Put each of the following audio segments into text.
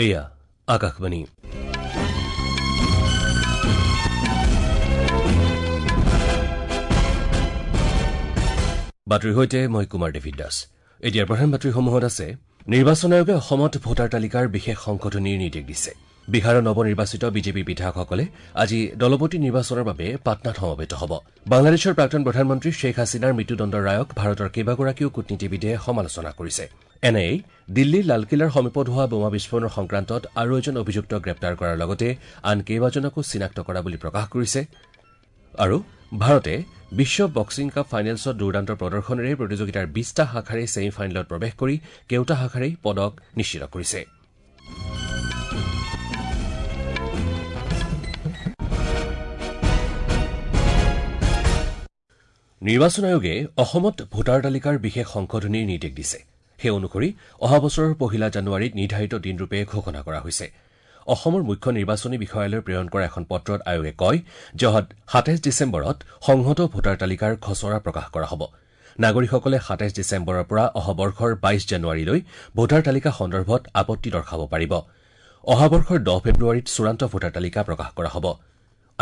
এয়া আকাশবাণী। বাতৰিৰ সৈতে মই কুমাৰ ডেভিড দাস। এতিয়াৰ প্ৰধান বাতৰিসমূহত আছে: নিৰ্বাচন আয়োগে অসমত ভোটাৰ তালিকাৰ বিশেষ সংশোধনীৰ নিৰ্দেশ দিছে। বিহাৰৰ নৱনিৰ্বাচিত বিজেপিৰ বিধায়কসকলে আজি দলপতি নিৰ্বাচনৰ বাবে পাটনাত সমবেত হ'ব। বাংলাদেশৰ প্ৰাক্তন প্ৰধানমন্ত্ৰী শ্বেখ হাছিনাৰ মৃত্যুদণ্ডৰ ৰায়ক ভাৰতৰ কেইবাগৰাকীও কূটনীতিবিদে সমালোচনা কৰিছে। এন আই এ দিল্লীৰ লালকিল্লাৰ সমীপত হোৱা বোমা বিস্ফোৰণৰ সংক্ৰান্তত আৰু এজন অভিযুক্তক গ্ৰেপ্তাৰ কৰাৰ লগতে আন কেইবাজনকো চিনাক্ত কৰা বুলি প্ৰকাশ কৰিছে। আৰু ভাৰতে বিশ্ব বক্সিং কাপ ফাইনেলছত দুৰ্দান্ত প্ৰদৰ্শনেৰে প্ৰতিযোগিতাৰ ২০টা শাখাৰে ছেমি ফাইনেলত প্ৰৱেশ কৰি কেউটা শাখাৰেই পদক নিশ্চিত কৰিছে। নিৰ্বাচন আয়োগে অসমত ভোটাৰ তালিকাৰ বিশেষ সংশোধনীৰ নিৰ্দেশ দিছে। সেই অনুসৰি অহা বছৰৰ ১ জানুৱাৰীত নিৰ্ধাৰিত দিনৰূপে ঘোষণা কৰা হৈছে। অসমৰ মুখ্য নিৰ্বাচনী বিষয়ালৈ প্ৰেৰণ কৰা এখন পত্ৰত আয়োগে কয় যে অহা ২৭ ডিচেম্বৰত সংহত ভোটাৰ তালিকাৰ খচৰা প্ৰকাশ কৰা হ'ব। নাগৰিকসকলে ২৭ ডিচেম্বৰৰ পৰা অহা বৰ্ষৰ ২২ জানুৱাৰীলৈ ভোটাৰ তালিকা সন্দৰ্ভত আপত্তি দৰ্শাব পাৰিব। অহা বৰ্ষৰ ১০ ফেব্ৰুৱাৰীত চূড়ান্ত ভোটাৰ তালিকা প্ৰকাশ কৰা হ'ব।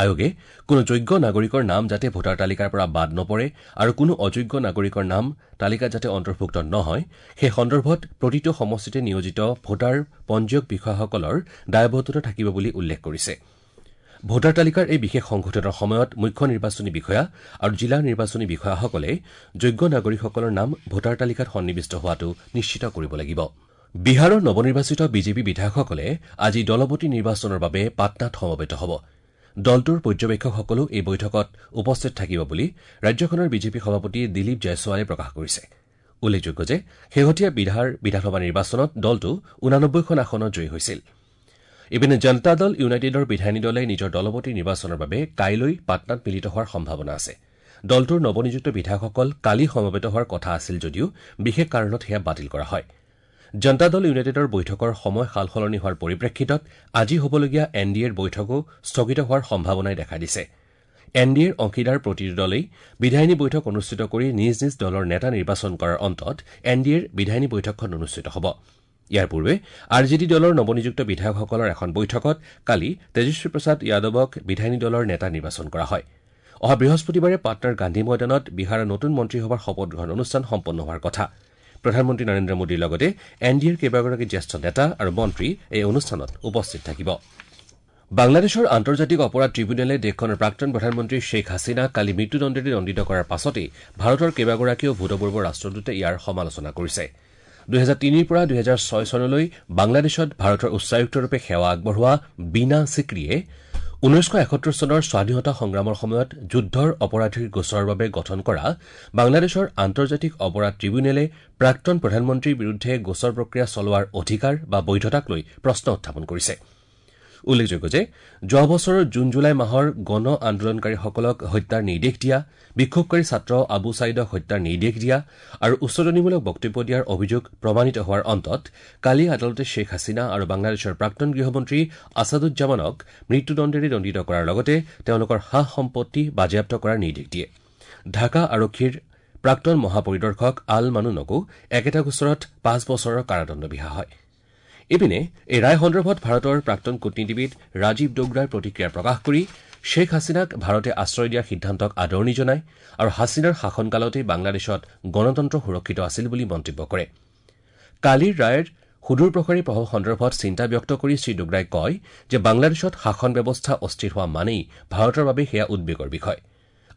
আয়োগে কোনো যোগ্য নাগৰিকৰ নাম যাতে ভোটাৰ তালিকাৰ পৰা বাদ নপৰে আৰু কোনো অযোগ্য নাগৰিকৰ নাম তালিকাত যাতে অন্তৰ্ভুক্ত নহয় সেই সন্দৰ্ভত প্ৰতিটো সমষ্টিতে নিয়োজিত ভোটাৰ পঞ্জীয়ক বিষয়াসকলৰ দায়বদ্ধতা থাকিব বুলি উল্লেখ কৰিছে। ভোটাৰ তালিকাৰ এই বিশেষ সংশোধনৰ সময়ত মুখ্য নিৰ্বাচনী বিষয়া আৰু জিলা নিৰ্বাচনী বিষয়াসকলে যোগ্য নাগৰিকসকলৰ নাম ভোটাৰ তালিকাত সন্নিৱিষ্ট হোৱাটো নিশ্চিত কৰিব লাগিব। বিহাৰৰ নৱনিৰ্বাচিত বিজেপি বিধায়কসকলে আজি দলপতি নিৰ্বাচনৰ বাবে পাটনাত সমবেত হ'ব। দলটোৰ পৰ্যবেক্ষকসকলো এই বৈঠকত উপস্থিত থাকিব বুলি ৰাজ্যখনৰ বিজেপি সভাপতি দিলীপ জয়ছোৱালে প্ৰকাশ কৰিছে। উল্লেখযোগ্য যে শেহতীয়া বিহাৰ বিধানসভা নিৰ্বাচনত দলটো ৮৯খন আসনত জয়ী হৈছিল। ইপিনে জনতা দল ইউনাইটেডৰ বিধায়িনী দলে নিজৰ দলপতি নিৰ্বাচনৰ বাবে কাইলৈ পাটনাত মিলিত হোৱাৰ সম্ভাৱনা আছে। দলটোৰ নৱনিযুক্ত বিধায়কসকল কালি সমবেত হোৱাৰ কথা আছিল যদিও বিশেষ কাৰণত সেয়া বাতিল কৰা হয়। জনতা দল ইউনাইটেডৰ বৈঠকৰ সময় সালসলনি হোৱাৰ পৰিপ্ৰেক্ষিতত আজি হ'বলগীয়া এন ডি এৰ বৈঠকো স্থগিত হোৱাৰ সম্ভাৱনাই দেখা দিছে। এন ডি এৰ অংশীদাৰ প্ৰতিটো দলেই বিধায়িনী বৈঠক অনুষ্ঠিত কৰি নিজ নিজ দলৰ নেতা নিৰ্বাচন কৰাৰ অন্তত এন ডি এৰ বিধায়িনী বৈঠকখন অনুষ্ঠিত হ'ব। ইয়াৰ পূৰ্বে আৰ জে ডি দলৰ নৱনিযুক্ত বিধায়কসকলৰ এখন বৈঠকত কালি তেজস্বী প্ৰসাদ যাদৱক বিধায়িনী দলৰ নেতা নিৰ্বাচন কৰা হয়। অহা বৃহস্পতিবাৰে পাটনাৰ গান্ধী ময়দানত বিহাৰৰ নতুন মন্ত্ৰীসভাৰ শপত গ্ৰহণ অনুষ্ঠান সম্পন্ন হোৱাৰ কথা। প্ৰধানমন্ত্ৰী নৰেন্দ্ৰ মোদীৰ লগতে এন ডি এৰ কেইবাগৰাকী জ্যেষ্ঠ নেতা আৰু মন্ত্ৰী এই অনুষ্ঠানত উপস্থিত থাকিব। বাংলাদেশৰ আন্তৰ্জাতিক অপৰাধ ট্ৰিবিউনেলে দেশখনৰ প্ৰাক্তন প্ৰধানমন্ত্ৰী শ্বেখ হাছিনাক কালি মৃত্যুদণ্ডেৰে দণ্ডিত কৰাৰ পাছতেই ভাৰতৰ কেইবাগৰাকীও ভূতপূৰ্ব ৰাষ্ট্ৰদূতে ইয়াৰ সমালোচনা কৰিছে। ২০০৩ৰ পৰা ২০০৬ চনলৈ বাংলাদেশত ভাৰতৰ উচ্চায়ুক্তৰূপে সেৱা আগবঢ়োৱা বীণা চিক্ৰীয়ে ১৯৭১ চনৰ স্বাধীনতা সংগ্ৰামৰ সময়ত যুদ্ধৰ অপৰাধীৰ গোচৰৰ বাবে গঠন কৰা বাংলাদেশৰ আন্তৰ্জাতিক অপৰাধ ট্ৰিবিউনেলে প্ৰাক্তন প্ৰধানমন্ত্ৰীৰ বিৰুদ্ধে গোচৰ প্ৰক্ৰিয়া চলোৱাৰ অধিকাৰ বা বৈধতাক লৈ প্ৰশ্ন উত্থাপন কৰিছে। উল্লেখযোগ্য যে যোৱা বছৰৰ জুন জুলাই মাহৰ গণ আন্দোলনকাৰীসকলক হত্যাৰ নিৰ্দেশ দিয়া, বিক্ষোভকাৰী ছাত্ৰ আবু ছাইদক হত্যাৰ নিৰ্দেশ দিয়া আৰু উচটনিমূলক বক্তব্য দিয়াৰ অভিযোগ প্ৰমাণিত হোৱাৰ অন্তত কালি আদালতে শ্বেখ হাছিনা আৰু বাংলাদেশৰ প্ৰাক্তন গৃহমন্ত্ৰী আছাদুজ্জামানক মৃত্যুদণ্ডেৰে দণ্ডিত কৰাৰ লগতে তেওঁলোকৰ সা সম্পত্তি বাজেয়াপ্ত কৰাৰ নিৰ্দেশ দিয়ে। ঢাকা আৰক্ষীৰ প্ৰাক্তন মহাপৰিদৰ্শক আল মানুনকো একেটা গোচৰত ৫ বছৰৰ কাৰাদণ্ড বিহা হয়। ইপিনে এই ৰায় সন্দৰ্ভত ভাৰতৰ প্ৰাক্তন কূটনীতিবিদ ৰাজীৱ ডোগৰাই প্ৰতিক্ৰিয়া প্ৰকাশ কৰি শ্বেখ হাছিনাক ভাৰতে আশ্ৰয় দিয়াৰ সিদ্ধান্তক আদৰণি জনায় আৰু হাছিনাৰ শাসনকালতেই বাংলাদেশত গণতন্ত্ৰ সুৰক্ষিত আছিল বুলি মন্তব্য কৰে। কালিৰ ৰায়ৰ সুদূৰপ্ৰসাৰী প্ৰভাৱ সন্দৰ্ভত চিন্তা ব্যক্ত কৰি শ্ৰীডোগৰাই কয় যে বাংলাদেশত শাসন ব্যৱস্থা অস্থিৰ হোৱা মানেই ভাৰতৰ বাবে সেয়া উদ্বেগৰ বিষয়।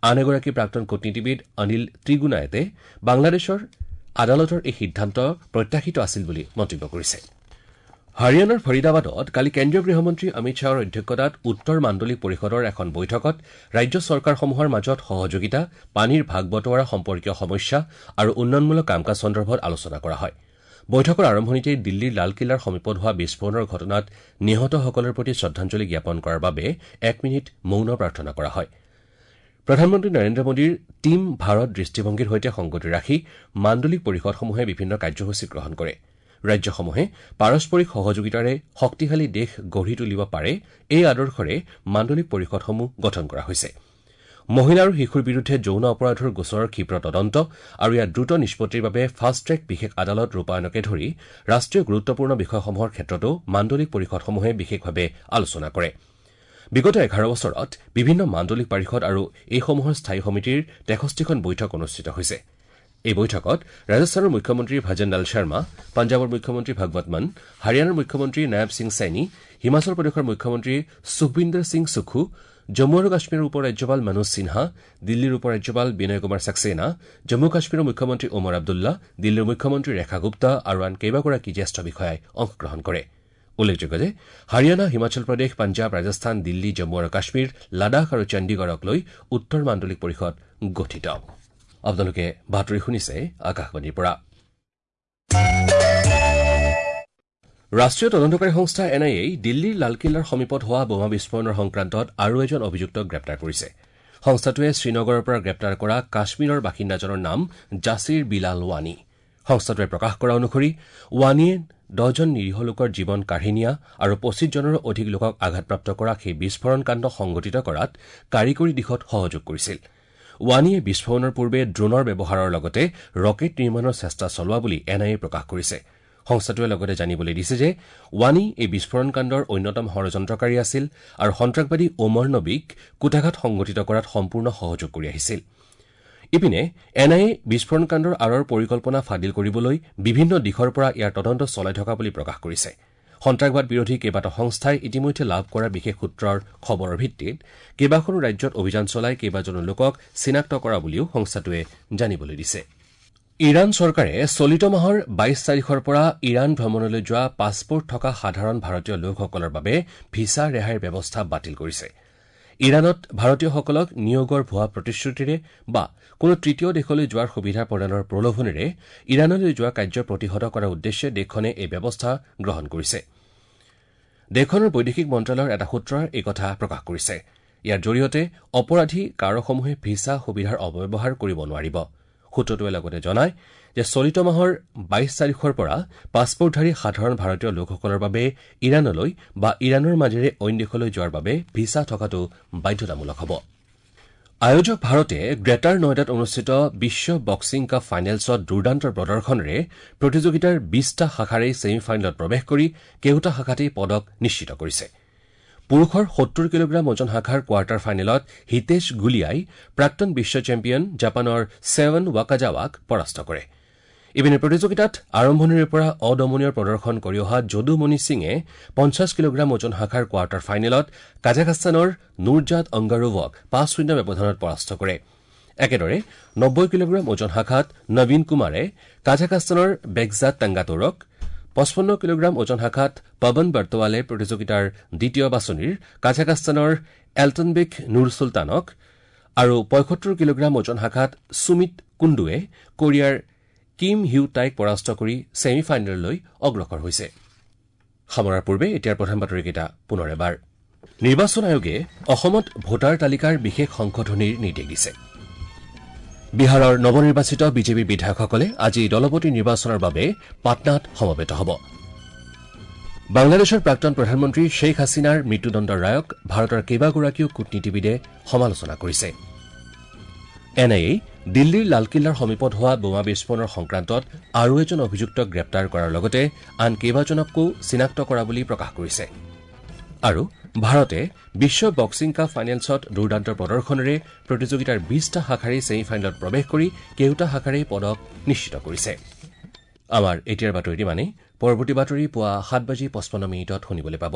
আন এগৰাকী প্ৰাক্তন কূটনীতিবিদ অনিল ত্ৰিগুণায়তে বাংলাদেশৰ আদালতৰ এই সিদ্ধান্ত প্ৰত্যাশিত আছিল বুলি মন্তব্য কৰিছে। হাৰিয়ানাৰ ফৰিদাবাদত কালি কেন্দ্ৰীয় গৃহমন্ত্ৰী অমিত শ্বাহৰ অধ্যক্ষতাত উত্তৰ মাণ্ডলিক পৰিষদৰ এখন বৈঠকত ৰাজ্য চৰকাৰসমূহৰ মাজত সহযোগিতা, পানীৰ ভাগ বটোৱাৰা সম্পৰ্কীয় সমস্যা আৰু উন্নয়নমূলক কাম কাজ সন্দৰ্ভত আলোচনা কৰা হয়। বৈঠকৰ আৰম্ভণিতে দিল্লীৰ লালকিল্লাৰ সমীপত হোৱা বিস্ফোৰণৰ ঘটনাত নিহতসকলৰ প্ৰতি শ্ৰদ্ধাঞ্জলি জ্ঞাপন কৰাৰ বাবে ১ মিনিট মৌন প্ৰাৰ্থনা কৰা হয়। প্ৰধানমন্ত্ৰী নৰেন্দ্ৰ মোদীৰ টীম ভাৰত দৃষ্টিভংগীৰ সৈতে সংগতি ৰাখি মাণ্ডলিক পৰিষদসমূহে বিভিন্ন কাৰ্যসূচী গ্ৰহণ কৰে। ৰাজ্যসমূহে পাৰস্পৰিক সহযোগিতাৰে শক্তিশালী দেশ গঢ়ি তুলিব পাৰে এই আদৰ্শৰে মাণ্ডলিক পৰিষদসমূহ গঠন কৰা হৈছে। মহিলা আৰু শিশুৰ বিৰুদ্ধে যৌন অপৰাধৰ গোচৰৰ ক্ষীপ্ৰ তদন্ত আৰু ইয়াৰ দ্ৰুত নিষ্পত্তিৰ বাবে ফাষ্ট ট্ৰেক বিশেষ আদালত ৰূপায়ণকে ধৰি ৰাষ্ট্ৰীয় গুৰুত্বপূৰ্ণ বিষয়সমূহৰ ক্ষেত্ৰতো মাণ্ডলিক পৰিষদসমূহে বিশেষভাৱে আলোচনা কৰে। বিগত ১১ বছৰত বিভিন্ন মাণ্ডলিক পৰিষদ আৰু এইসমূহৰ স্থায়ী সমিতিৰ ৬৩খন বৈঠক অনুষ্ঠিত হৈছে। এই বৈঠকত ৰাজস্থানৰ মুখ্যমন্ত্ৰী ভজনলাল শৰ্মা, পঞ্জাৱৰ মুখ্যমন্ত্ৰী ভগৱত মান, হাৰিয়ানাৰ মুখ্যমন্ত্ৰী নায়াব সিং চৈনী, হিমাচল প্ৰদেশৰ মুখ্যমন্ত্ৰী সুখবিন্দৰ সিং সুখু, জম্মু আৰু কাশ্মীৰৰ উপ ৰাজ্যপাল মনোজ সিনহা, দিল্লীৰ উপ ৰাজ্যপাল বিনয় কুমাৰ ছাক্সেনা, জম্মু কাশ্মীৰৰ মুখ্যমন্ত্ৰী ওমৰ আব্দুল্লা, দিল্লীৰ মুখ্যমন্ত্ৰী ৰেখা গুপ্তা আৰু আন কেইবাগৰাকী জ্যেষ্ঠ বিষয়াই অংশগ্ৰহণ কৰে। উল্লেখযোগ্য যে হাৰিয়ানা, হিমাচল প্ৰদেশ, পঞ্জাৱ, ৰাজস্থান, দিল্লী, জম্মু আৰু কাশ্মীৰ, লাডাখ আৰু চণ্ডীগড়ক লৈ উত্তৰ মাণ্ডলিক পৰিষদ গঠিত। আপোনালোকে বাতৰি শুনিছে আকাশবাণীৰ পৰা। ৰাষ্ট্ৰীয় তদন্তকাৰী সংস্থা এন আই এই দিল্লীৰ লালকিল্লাৰ সমীপত হোৱা বোমা বিস্ফোৰণৰ সংক্ৰান্তত আৰু এজন অভিযুক্তক গ্ৰেপ্তাৰ কৰিছে। সংস্থাটোৱে শ্ৰীনগৰৰ পৰা গ্ৰেপ্তাৰ কৰা কাশ্মীৰৰ বাসিন্দাজনৰ নাম জাছিৰ বিলাল ৱানী। সংস্থাটোৱে প্ৰকাশ কৰা অনুসৰি ৱানীয়ে ১০জন নিৰীহ লোকৰ জীৱন কাঢ়ি নিয়া আৰু ২৫জনৰো অধিক লোকক আঘাতপ্ৰাপ্ত কৰা সেই বিস্ফোৰণ কাণ্ড সংঘটিত কৰাত কাৰিকৰী দিশত সহযোগ কৰিছিল। ৱানীয়ে বিস্ফোৰণৰ পূৰ্বে ড্ৰোনৰ ব্যৱহাৰৰ লগতে ৰকেট নিৰ্মাণৰ চেষ্টা চলোৱা বুলি এন আই এ প্ৰকাশ কৰিছে। সংস্থাটোৱে লগতে জানিবলৈ দিছে যে ৱানী এই বিস্ফোৰণ কাণ্ডৰ অন্যতম ষড়যন্ত্ৰকাৰী আছিল আৰু সন্ত্ৰাসবাদী ওমৰ নবীক কূটাঘাত সংঘটিত কৰাত সম্পূৰ্ণ সহযোগ কৰি আহিছিল। ইপিনে এন আই এ বিস্ফোৰণ কাণ্ডৰ আঁৰৰ পৰিকল্পনা ফাদিল কৰিবলৈ বিভিন্ন দিশৰ পৰা ইয়াৰ তদন্ত চলাই থকা বুলি প্ৰকাশ কৰিছে। সন্ত্ৰাসবাদ বিৰোধী কেইবাটাও সংস্থাই ইতিমধ্যে লাভ কৰা বিশেষ সূত্ৰৰ খবৰৰ ভিত্তিত কেইবাখনো ৰাজ্যত অভিযান চলাই কেইবাজনো লোকক চিনাক্ত কৰা বুলিও সংস্থাটোৱে জানিবলৈ দিছে। ইৰাণ চৰকাৰে চলিত মাহৰ ২২ তাৰিখৰ পৰা ইৰাণ ভ্ৰমণলৈ যোৱা পাছপোৰ্ট থকা সাধাৰণ ভাৰতীয় লোকসকলৰ বাবে ভিছা ৰেহাইৰ ব্যৱস্থা বাতিল কৰিছে। ইৰাণত ভাৰতীয়সকলক নিয়োগৰ ভুৱা প্ৰতিশ্ৰুতিৰে বা কোনো তৃতীয় দেশলৈ যোৱাৰ সুবিধা প্ৰদানৰ প্ৰলোভনেৰে ইৰাণলৈ যোৱা কাৰ্য প্ৰতিহত কৰাৰ উদ্দেশ্যে দেশখনে এই ব্যৱস্থা গ্ৰহণ কৰিছে। দেশখনৰ বৈদেশিক মন্ত্ৰালয়ৰ এটা সূত্ৰই এই কথা প্ৰকাশ কৰিছে। ইয়াৰ জৰিয়তে অপৰাধী কাৰকসমূহে ভিছা সুবিধাৰ অপব্যৱহাৰ কৰিব নোৱাৰিব। সূত্ৰটোৱে লগতে জনায় যে চলিত মাহৰ ২২ তাৰিখৰ পৰা পাছপোৰ্টধাৰী সাধাৰণ ভাৰতীয় লোকসকলৰ বাবে ইৰাণলৈ বা ইৰাণৰ মাজেৰে অইন দেশলৈ যোৱাৰ বাবে ভিছা থকাটো বাধ্যতামূলক হ'ব। আয়োজক ভাৰতে গ্ৰেটাৰ নয়ডাত অনুষ্ঠিত বিশ্ব বক্সিং কাপ ফাইনেলছত দুৰ্দান্ত প্ৰদৰ্শনেৰে প্ৰতিযোগিতাৰ ২০টা শাখাৰেই ছেমি ফাইনেলত প্ৰৱেশ কৰি কেওটা শাখাতেই পদক নিশ্চিত কৰিছে। পুৰুষৰ ৭০ কিলোগ্ৰাম ওজন শাখাৰ কোৱাৰ্টাৰ ফাইনেলত হিতেশ গুলিয়াই প্ৰাক্তন বিশ্ব চেম্পিয়ন জাপানৰ ছেভেন ৱাকাজাৱাক পৰাস্ত কৰে। ইপিনে প্ৰতিযোগিতাত আৰম্ভণিৰে পৰা অদমনীয় প্ৰদৰ্শন কৰি অহা যদুমণি সিঙে ৫০ কিলোগ্ৰাম ওজন শাখাৰ কোৱাৰ্টাৰ ফাইনেলত কাজাখাস্তানৰ নুৰজাদ অংগাৰোভক ৫-০ ব্যৱধানত পৰাস্ত কৰে। একেদৰে ৯০ কিলোগ্ৰাম ওজন শাখাত নবীন কুমাৰে কাজাখাস্তানৰ বেগজাদ টাংগাটোৰক, ৫৫ কিলোগ্ৰাম ওজন শাখাত পৱন বৰ্তৱালে প্ৰতিযোগিতাৰ দ্বিতীয় বাছনিৰ কাজাখাস্তানৰ এল্টনবেক নুৰ চুলতানক আৰু ৭৫ কিলোগ্ৰাম ওজন শাখাত সুমিত কুণ্ডুৱে কোৰিয়াৰ কিম হিউ টাইক পৰাস্ত কৰি ছেমি ফাইনেললৈ অগ্ৰসৰ হৈছে। সামৰাৰ পূৰ্বে এতিয়াৰ প্ৰধান বাতৰিকেইটা পুনৰ এবাৰ। নিৰ্বাচন আয়োগে অসমত ভোটাৰ তালিকাৰ বিশেষ সংশোধনীৰ নিৰ্দেশ দিছে। বিহাৰৰ নৱনিৰ্বাচিত বিজেপিৰ বিধায়কসকলে আজি দলপতি নিৰ্বাচনৰ বাবে পাটনাত সমবেত হ'ব। বাংলাদেশৰ প্ৰাক্তন প্ৰধানমন্ত্ৰী শ্বেইখ হাছিনাৰ মৃত্যুদণ্ডৰ ৰায়ক ভাৰতৰ কেইবাগৰাকীও কূটনীতিবিদে সমালোচনা কৰিছে। এন আই এ দিল্লীৰ লালকিল্লাৰ সমীপত হোৱা বোমা বিস্ফোৰণৰ সংক্ৰান্তত আৰু এজন অভিযুক্তক গ্ৰেপ্তাৰ কৰাৰ লগতে আন কেইবাজনকো চিনাক্ত কৰা বুলি প্ৰকাশ কৰিছে। আৰু ভাৰতে বিশ্ব বক্সিং কাপ ফাইনেলছত দুৰ্দান্ত প্ৰদৰ্শনেৰে প্ৰতিযোগিতাৰ ২০টা শাখাৰেই ছেমি ফাইনেলত প্ৰৱেশ কৰি কেওটা শাখাৰেই পদক নিশ্চিত কৰিছে। আমাৰ এতিয়াৰ বাতৰি ইমানেই। পৰৱৰ্তী বাতৰি পুৱা ৭:৫৫ শুনিবলৈ পাব।